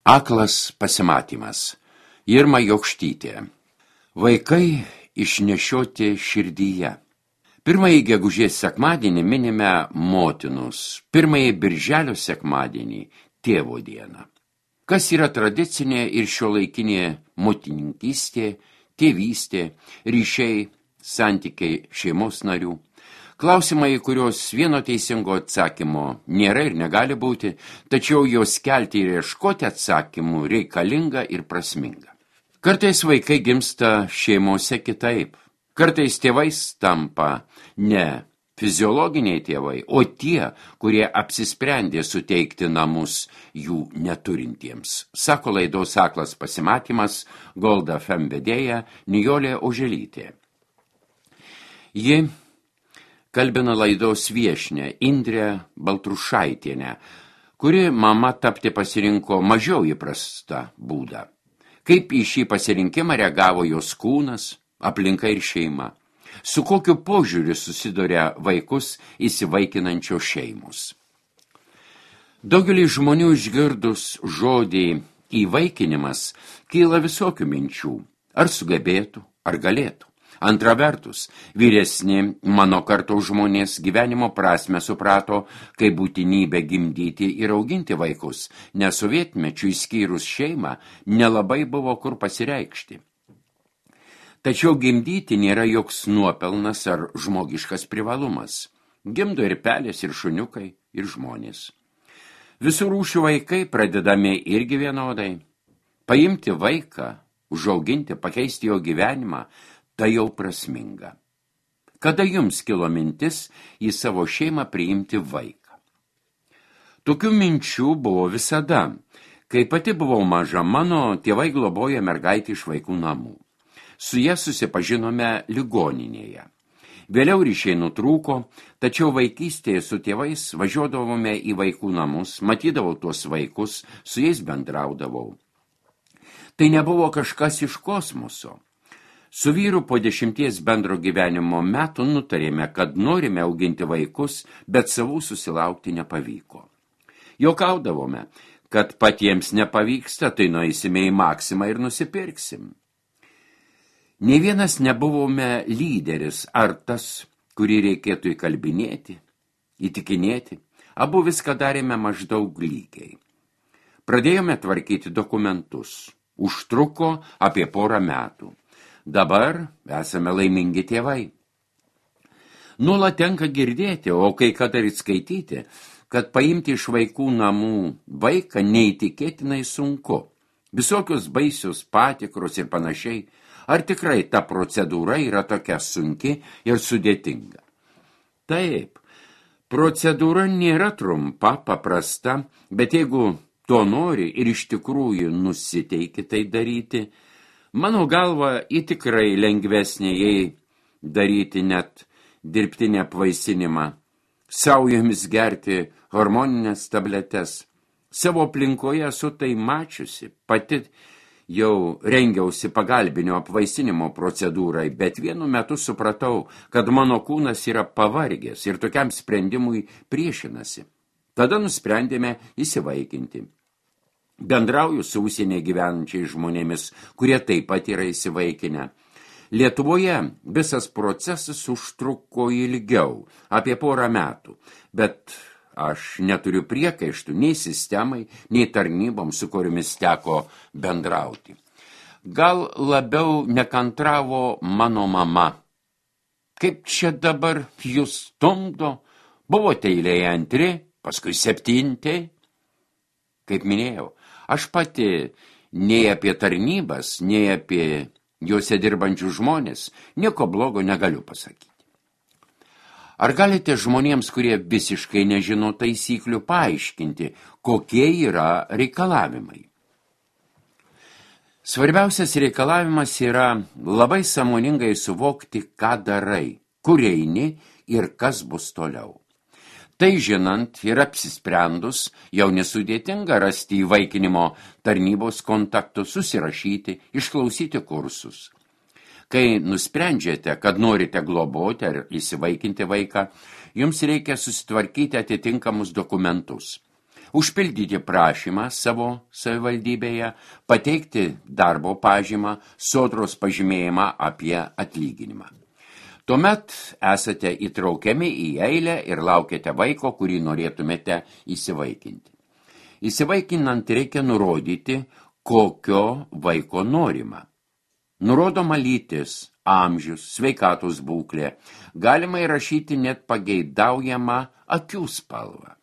Aklas pasimatymas. Irma Jokštytė. Vaikai išnešioti širdyje. Pirmąjį gegužės sekmadienį minime motinus, pirmąjį birželio sekmadienį tėvo dieną. Kas yra tradicinė ir šiuolaikinė motinininkystė, tėvystė, ryšiai, santykiai šeimos narių? Klausimai, kurios vieno teisingo atsakymo nėra ir negali būti, tačiau jos kelti ir ieškoti atsakymų reikalinga ir prasminga. Kartais vaikai gimsta šeimose kitaip. Kartais tėvais tampa ne fiziologiniai tėvai, o tie, kurie apsisprendė suteikti namus jų neturintiems. Sako laidos Aklas pasimatymas Gold FM vedėja Nijolė Oželytė. Ji kalbina laidos viešnią Indrę Baltrušaitienę, kuri mama tapti pasirinko mažiau įprastą būdą. Kaip į šį pasirinkimą reagavo jos kūnas, aplinka ir šeima. Su kokiu požiūriu susiduria vaikus įsivaikinančios šeimos. Daugelį žmonių išgirdus žodį įvaikinimas kyla visokių minčių. Ar sugebėtų, ar galėtų. Antra vertus, vyresni mano kartos žmonės gyvenimo prasmę suprato kaip būtinybę gimdyti ir auginti vaikus, nes sovietmečiu išskyrus šeimą nelabai buvo kur pasireikšti. Tačiau gimdyti nėra joks nuopelnas ar žmogiškas privalumas. Gimdo ir pelės, ir šuniukai, ir žmonės. Visų rūšių vaikai pradedami irgi vienodai. Paimti vaiką, užauginti, pakeisti jo gyvenimą, tai jau prasminga. Kada jums kilo mintis į savo šeimą priimti vaiką? Tokių minčių buvo visada. Kai pati buvau maža, mano tėvai globojo mergaitį iš vaikų namų. Su ja susipažinome ligoninėje. Vėliau ryšiai nutrūko, tačiau vaikystėje su tėvais važiuodavome į vaikų namus, matydavau tuos vaikus, su jais bendraudavau. Tai nebuvo kažkas iš kosmoso. Su vyru po 10 bendro gyvenimo metų nutarėme, kad norime auginti vaikus, bet savų susilaukti nepavyko. Juokaudavome, kad patiems nepavyksta, tai nueisime į Maksimą ir nusipirksim. Nė vienas nebuvome lyderis ar tas, kurį reikėtų įkalbinėti, įtikinėti. Abu viską darėme maždaug lygiai. Pradėjome tvarkyti dokumentus. Užtruko apie 1 metų. Dabar esame laimingi tėvai. Nuolat tenka girdėti, o kai kada ir skaityti, kad paimti iš vaikų namų vaiką neįtikėtinai sunku. Visokios baisios patikros ir panašiai. Ar tikrai ta procedūra yra tokia sunki ir sudėtinga? Taip, procedūra nėra trumpa, paprasta, bet jeigu to nori ir iš tikrųjų nusiteiki tai daryti, mano galva, į tikrai lengvesnė jei daryti net dirbtinę apvaisinimą, saujomis gerti hormoninės tabletes. Savo aplinkoje esu tai mačiusi, pati jau rengiausi pagalbinio apvaisinimo procedūrai, bet vienu metu supratau, kad mano kūnas yra pavargęs ir tokiam sprendimui priešinasi. Tada nusprendėme įsivaikinti. Bendrauju su užsienyje gyvenančiais žmonėmis, kurie taip pat yra įsivaikinę. Lietuvoje visas procesas užtruko ilgiau, apie 1 metų, bet aš neturiu priekaištų nei sistemai, nei tarnyboms, su kuriomis teko bendrauti. Gal labiau nekantravo mano mama. Kaip čia dabar jūs stumdo? Buvote eilėje 2, paskui 7. Kaip minėjau, aš pati nei apie tarnybas, nei apie juose dirbančių žmonės nieko blogo negaliu pasakyti. Ar galite žmonėms, kurie visiškai nežino taisyklių, paaiškinti, kokie yra reikalavimai? Svarbiausias reikalavimas yra labai sąmoningai suvokti, ką darai, kur eini ir kas bus toliau. Tai žinant ir apsisprendus, jau nesudėtinga rasti įvaikinimo tarnybos kontaktus, susirašyti, išklausyti kursus. Kai nusprendžiate, kad norite globoti ar įsivaikinti vaiką, jums reikia susitvarkyti atitinkamus dokumentus. užpildyti prašymą savo savivaldybėje, pateikti darbo pažymą, sodros pažymėjimą apie atlyginimą. Tuomet esate įtraukiami į eilę ir laukiate vaiko, kurį norėtumėte įsivaikinti. Įsivaikinant reikia nurodyti, kokio vaiko norima. Nurodoma lytis, amžius, sveikatos būklė, galima įrašyti net pageidaujamą akių spalvą.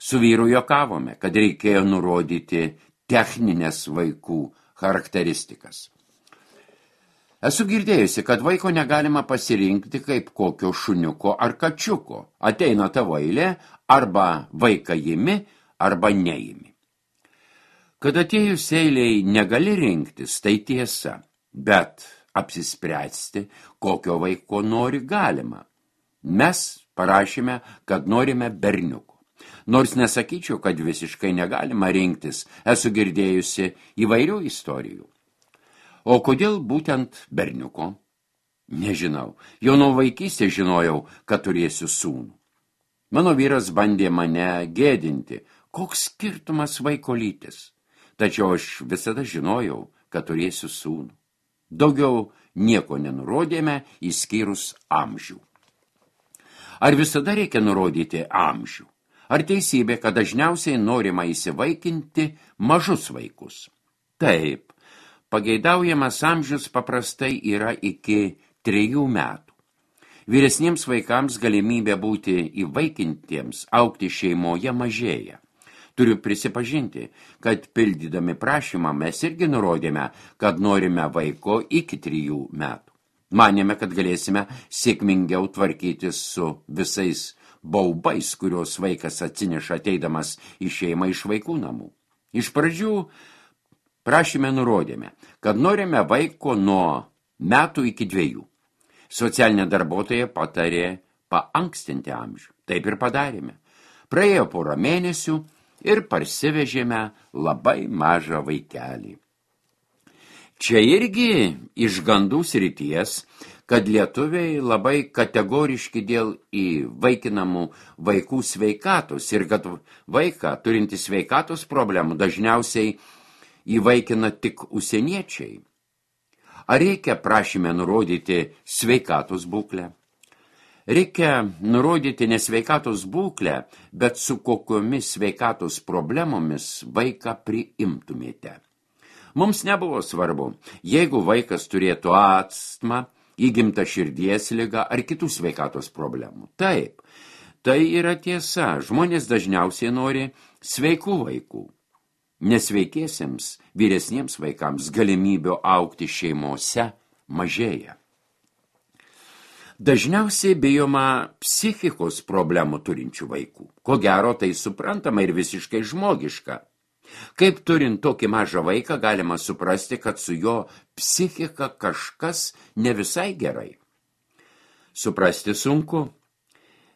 Su vyru juokavome, kad reikėjo nurodyti techninės vaikų charakteristikas. Esu girdėjusi, kad vaiko negalima pasirinkti kaip kokio šuniuko ar kačiuko. Ateina tavo eilė, arba vaiką imi, arba neimi. Kad atėjus eiliai negali rinktis, tai tiesa, bet apsispręsti, kokio vaiko nori galima. Mes parašėme, kad norime berniuko. Nors nesakyčiau, kad visiškai negalima rinktis, esu girdėjusi įvairių istorijų. O kodėl būtent berniuko? Nežinau. Jau nuo vaikystės žinojau, kad turėsiu sūnų. Mano vyras bandė mane gėdinti, koks skirtumas vaiko lytis. Tačiau aš visada žinojau, kad turėsiu sūnų. Daugiau nieko nenurodėme, išskyrus amžių. Ar visada reikia nurodyti amžių? Ar teisybė, kad dažniausiai norima įsivaikinti mažus vaikus? Taip, pageidaujamas amžius paprastai yra iki 3 metų. Vyresniems vaikams galimybė būti įvaikintiems augti šeimoje mažėja. Turiu prisipažinti, kad pildydami prašymą mes irgi nurodėme, kad norime vaiko iki 3 metų. Manėme, kad galėsime sėkmingiau tvarkytis su visais baubais, kuriuos vaikas atsineša ateidamas į šeimą iš vaikų namų. Iš pradžių prašyme nurodėme, kad norime vaiko nuo metų iki 2. Socialinė darbuotoja patarė paankstinti amžių. Taip ir padarėme. Praėjo porą mėnesių ir parsivežėme labai mažą vaikelį. Čia irgi iš gandų srities, kad lietuviai labai kategoriški dėl įvaikinamų vaikų sveikatos ir kad vaiką turintį sveikatos problemų dažniausiai įvaikina tik užsieniečiai. Ar reikia prašyme nurodyti sveikatos būklę? Reikia nurodyti ne sveikatos būklę, bet su kokiomis sveikatos problemomis vaiką priimtumėte. Mums nebuvo svarbu, jeigu vaikas turėtų astmą, įgimtą širdies ligą ar kitų sveikatos problemų. Taip, tai yra tiesa, žmonės dažniausiai nori sveikų vaikų. Nesveikiesiems vyresniems vaikams galimybių augti šeimose mažėja. Dažniausiai bijoma psichikos problemų turinčių vaikų. Ko gero, tai suprantama ir visiškai žmogiška. Kaip turint tokį mažą vaiką, galima suprasti, kad su jo psichika kažkas ne visai gerai. Suprasti sunku.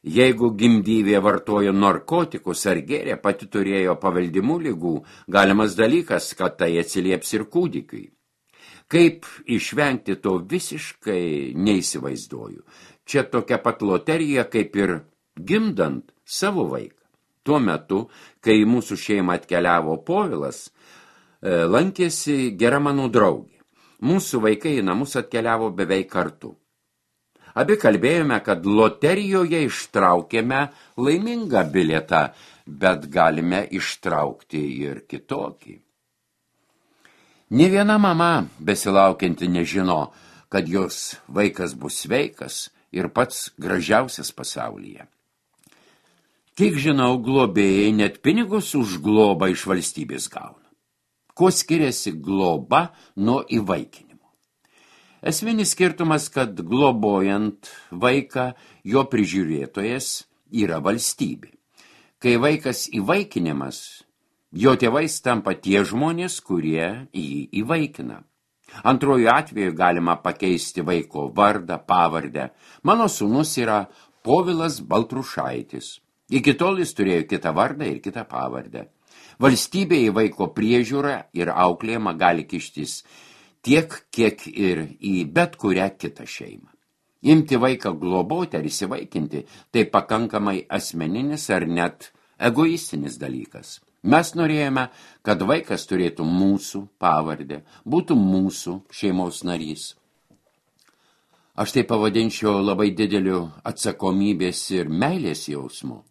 Jeigu gimdyvė vartojo narkotikus ar gėrė, pati turėjo paveldimų ligų, galimas dalykas, kad tai atsilieps ir kūdikiui. Kaip išvengti to visiškai neįsivaizduoju. Čia tokia pat loterija, kaip ir gimdant savo vaiką. Tuo metu, kai mūsų šeimą atkeliavo Povilas, lankėsi gera mano draugė. Mūsų vaikai į namus atkeliavo beveik kartu. Abi kalbėjome, kad loterijoje ištraukėme laimingą bilietą, bet galime ištraukti ir kitokį. Nė viena mama besilaukianti nežino, kad jos vaikas bus sveikas ir pats gražiausias pasaulyje. Kiek žinau, globėjai net pinigus už globą iš valstybės gauna. Kuo skiriasi globa nuo įvaikinimo? Esminis skirtumas, kad globojant vaiką, jo prižiūrėtojas yra valstybė. Kai vaikas įvaikinimas, jo tėvais tampa tie žmonės, kurie jį įvaikina. Antroju atveju galima pakeisti vaiko vardą, pavardę. Mano sūnus yra Povilas Baltrušaitis. Iki tol jis turėjo kitą vardą ir kitą pavardę. Valstybė į vaiko priežiūrą ir auklėjimą gali kištis tiek, kiek ir į bet kurią kitą šeimą. Imti vaiką globoti ar įsivaikinti, tai pakankamai asmeninis ar net egoistinis dalykas. Mes norėjome, kad vaikas turėtų mūsų pavardę, būtų mūsų šeimos narys. Aš tai pavadinčiau labai dideliu atsakomybės ir meilės jausmu.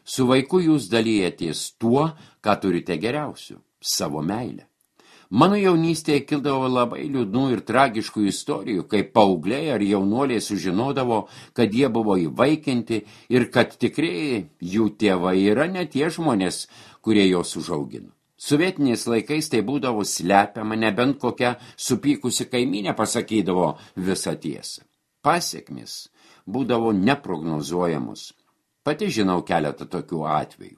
Su vaiku jūs dalijatės tuo, ką turite geriausiu – savo meilę. Mano jaunystėje kildavo labai liūdnų ir tragiškų istorijų, kai paaugliai ar jaunuoliai sužinodavo, kad jie buvo įvaikinti ir kad tikrieji jų tėvai yra ne tie žmonės, kurie juos užaugino. Sovietiniais laikais tai būdavo slepiama, nebent kokia supykusi kaimynė pasakydavo visą tiesą. Pasekmės būdavo neprognozuojamos. Pati žinau keletą tokių atvejų.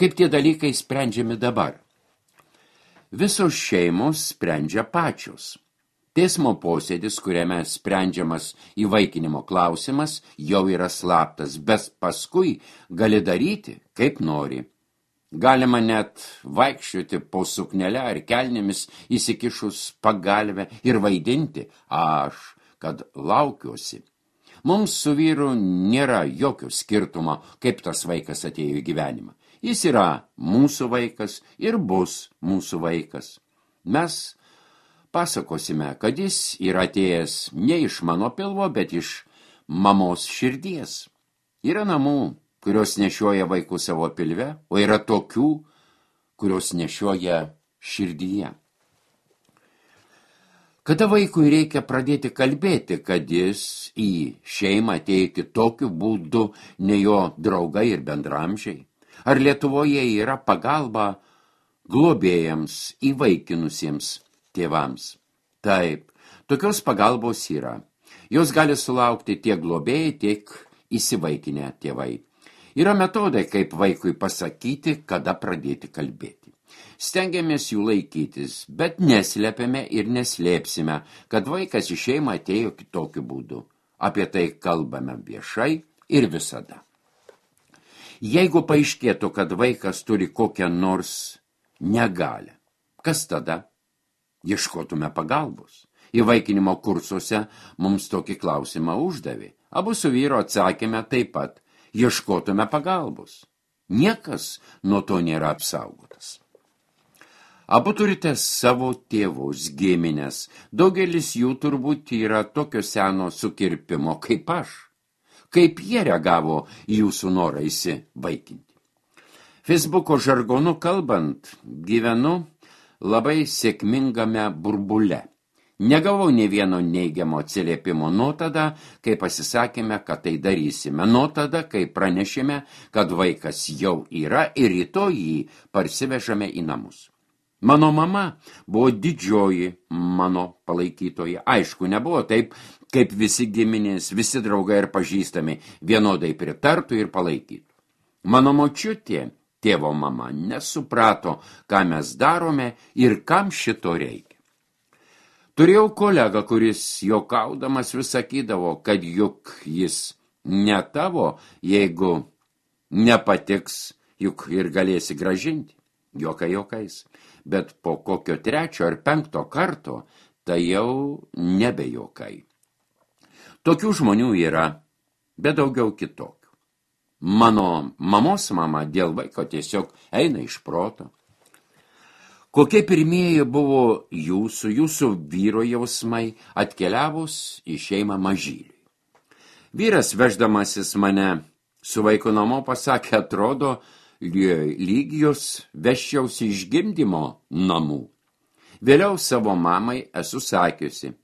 Kaip tie dalykai sprendžiami dabar? Visos šeimos sprendžia pačios. Teismo posėdis, kuriame sprendžiamas įvaikinimo klausimas, jau yra slaptas, bet paskui gali daryti, kaip nori. Galima net vaikščioti po suknelę ar kelnėmis įsikišus pagalvę ir vaidinti, kad laukiuosi. Mums su vyru nėra jokio skirtumo, kaip tas vaikas atėjo į gyvenimą. Jis yra mūsų vaikas ir bus mūsų vaikas. Mes pasakosime, kad jis yra atėjęs ne iš mano pilvo, bet iš mamos širdies. Yra namų, kurios nešioja vaikų savo pilve, o yra tokių, kurios nešioja širdyje. Kada vaikui reikia pradėti kalbėti, kad jis į šeimą atėjo kitokiu būdu, ne jo draugai ir bendramžiai? Ar Lietuvoje yra pagalba globėjams, įvaikinusiems tėvams? Taip, tokios pagalbos yra. Jos gali sulaukti tiek globėjai, tiek įsivaikinę tėvai. Yra metodai, kaip vaikui pasakyti, kada pradėti kalbėti. Stengiamės jų laikytis, bet neslepiame ir neslėpsime, kad vaikas į šeimą atėjo kitokiu būdu. Apie tai kalbame viešai ir visada. Jeigu paaiškėtų, kad vaikas turi kokią nors negalią, kas tada? Ieškotume pagalbos. Įvaikinimo kursuose mums tokį klausimą uždavė. Abu su vyru atsakėme taip pat. Ieškotume pagalbos. Niekas nuo to nėra apsaugotas. Abu turite savo tėvus, giminės. Daugelis jų turbūt yra tokio seno sukirpimo kaip aš. Kaip jie reagavo į jūsų norą įsivaikinti. Facebooko žargonu kalbant, gyvenu labai sėkmingame burbule. Negavau nė vieno neigiamo atsiliepimo nuo tada, kai pasisakėme, kad tai darysime, nuo tada, kai pranešėme, kad vaikas jau yra ir rytoj jį parsivežame į namus. Mano mama buvo didžioji mano palaikytoja. Aišku, nebuvo taip, kaip visi giminės, visi draugai ir pažįstami vienodai pritartų ir palaikytų. Mano močiutė, tėvo mama, nesuprato, ką mes darome ir kam šito reikia. Turėjau kolegą, kuris juokaudamas vis sakydavo, kad juk jis ne tavo, jeigu nepatiks, juk ir galėsi gražinti. Juokai juokais. Bet po kokio 3 ar 5 karto tai jau nebe juokai. Tokių žmonių yra, bet daugiau kitokių. Mano mamos mama dėl vaiko tiesiog eina iš proto. Kokie pirmieji buvo jūsų vyro jausmai atkeliavus į šeimą mažyliui? Vyras veždamasis mane su vaiku namo pasakė, atrodo, lyg jos veščiausi iš gimdymo namų. Vėliau savo mamai esu sakiusi.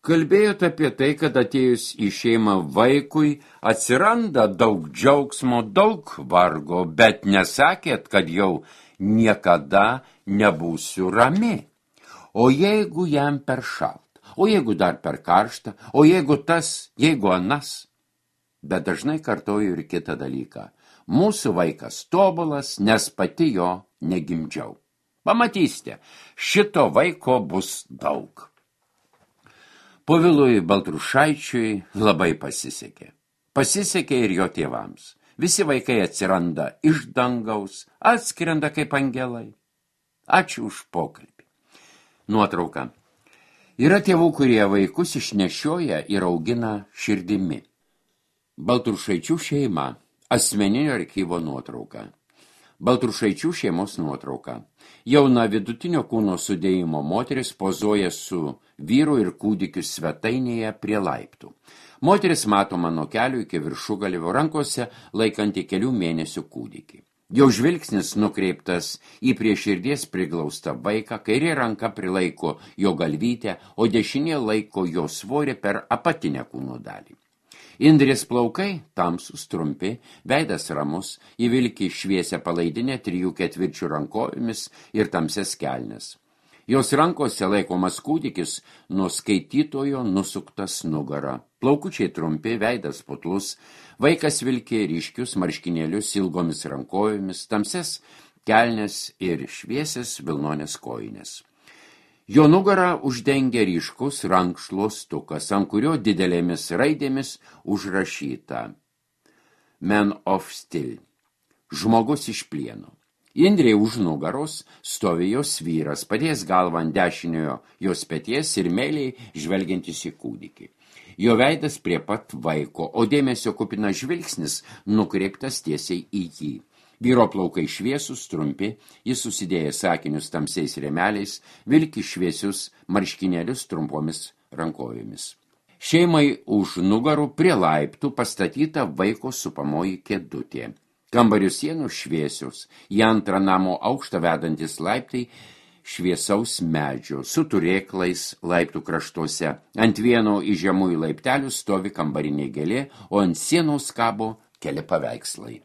Kalbėjote apie tai, kad atėjus į šeimą vaikui atsiranda daug džiaugsmo, daug vargo, bet nesakėt, kad jau niekada nebūsiu rami. O jeigu jam per šalta, o jeigu dar per karšta, o jeigu tas, jeigu anas. Bet dažnai kartoju ir kitą dalyką. Mūsų vaikas tobulas, nes pati jo negimdžiau. Pamatysite, šito vaiko bus daug. Povilui Baltrušaičiui labai pasisekė. Pasisekė ir jo tėvams. Visi vaikai atsiranda iš dangaus, atskrenda kaip angelai. Ačiū už pokalbį. Nuotrauka. Yra tėvų, kurie vaikus išnešioja ir augina širdimi. Baltrušaičių šeima Asmeninio archyvo nuotrauka. Baltrušaičių šeimos nuotrauka. Jauna vidutinio kūno sudėjimo moteris pozuoja su vyru ir kūdikiu svetainėje prie laiptų. Moteris matoma nuo kelių iki viršugalvio, rankose laikanti kelių mėnesių kūdikį. Jau žvilgsnis nukreiptas į prie širdies priglaustą vaiką, kairė ranka prilaiko jo galvytę, o dešinė laiko jo svorį per apatinę kūno dalį. Indrės plaukai tamsūs, trumpi, veidas ramus, įvilki šviesią palaidinę 3/4 rankojomis ir tamsias kelnes. Jos rankose laikomas kūdikis nuo skaitytojo nusuktas nugara. Plaukučiai trumpi, veidas putlus, vaikas vilki ryškius marškinėlius ilgomis rankojomis, tamsias kelnes ir šviesias vilnonės kojinės. Jo nugarą uždengia ryškus rankšluostukas, ant kurio didelėmis raidėmis užrašyta Man of Steel. Žmogus iš plieno. Indrei už nugaros stovi jos vyras, padėjęs galvą ant dešiniojo jos peties ir meiliai žvelgiantis į kūdikį. Jo veidas prie pat vaiko, o dėmesio kupinas žvilgsnis nukreiptas tiesiai į jį. Vyro plaukai šviesus, trumpi, jis susidėjęs sakinius tamsiais rėmeliais, vilki šviesius marškinėlius trumpomis rankojomis. Šeimai už nugarų prie laiptų pastatyta vaiko supamoji kėdutė. Kambarių sienų šviesius, į antrą namo aukštą vedantis laiptai šviesaus medžio, su turėklais laiptų kraštuose. Ant vieno iš žemųjų laiptelių stovi kambarinė gėlė, o ant sienos kabo keli paveikslai.